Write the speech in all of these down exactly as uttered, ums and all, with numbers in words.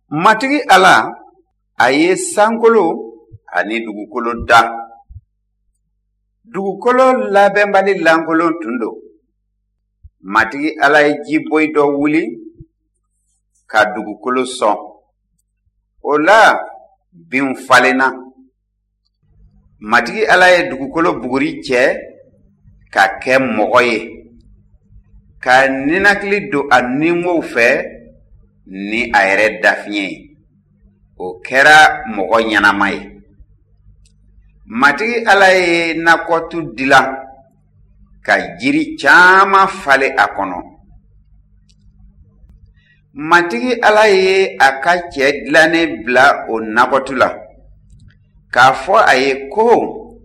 Matigi Ala, a ye sankolo ani dugukolo da. Dugukolo labɛnbali lankolon tun don. Matigi Ala ye jiboyi dɔ wuli ka dugukolo sɔn. O la, binw falenna. Matigi Ala ye dugukolo buguri cɛ ka kɛ mɔgɔ ye, ka ninakili don a ninwow fɛ ni a yɛrɛ dafiɲɛ ye. O kɛra mɔgɔ ɲɛnama ye. Matigi Ala ye nakɔtu dilan ka jiri caman falen a kɔnɔ. Matigi Ala ye a ka cɛ dilannen bila o nakɔtu la, k'a fɔ a ye ko,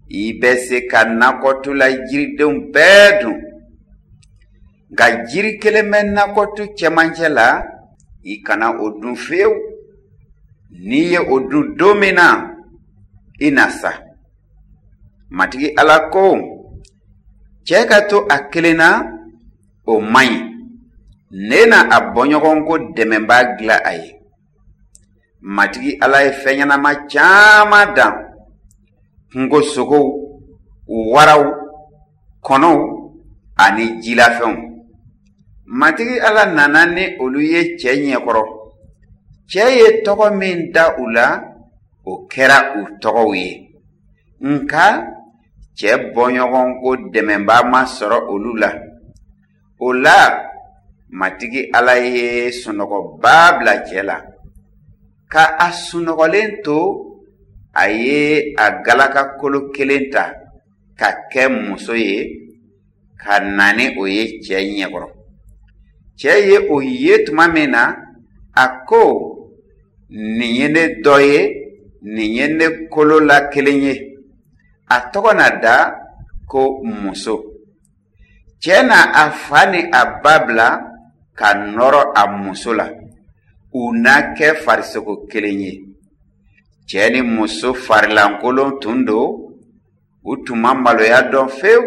i bɛ se ka nakɔtu la jiridenw bɛɛ dun. Nka jiri kelen bɛ nakɔtu cɛmancɛ la, i kana o dun fewu. N'i ye o dun don min na, i na sa. Matigi Ala ko, cɛ ka to a kelen na, o man ɲi. Ne na a bɔɲɔgɔnko dɛmɛbaa dilan a ye. Matigi Ala ye fɛn ɲɛnama caman dan: kungo sogow, waraw, kɔnɔw ani jilafɛnw. Matigi Ala nana ni olu ye cɛ ɲɛkɔrɔ. Cɛ ye tɔgɔ min da u la, o kɛra u tɔgɔw ye. Nka cɛ bɔɲɔgɔnko dɛmɛbaa ma sɔrɔ olu la. O la, Matigi Ala ye sunɔgɔba bila cɛ la. Ka a sunɔgɔlen to, a ye a galakakolo kelen ta ka kɛ muso ye, ka na ni o ye cɛ ɲɛkɔrɔ. Cɛ ye o ye tuma min na, a ko, nin ye ne dɔ ye, nin ye ne kolo la kelen ye. A tɔgɔ na da ko muso. Cɛ na a fa ni a ba bila ka nɔrɔ a muso la. U na kɛ farisogo kelen ye. Cɛ ni muso farilankolon tun don, u tun ma maloya dɔn fewu.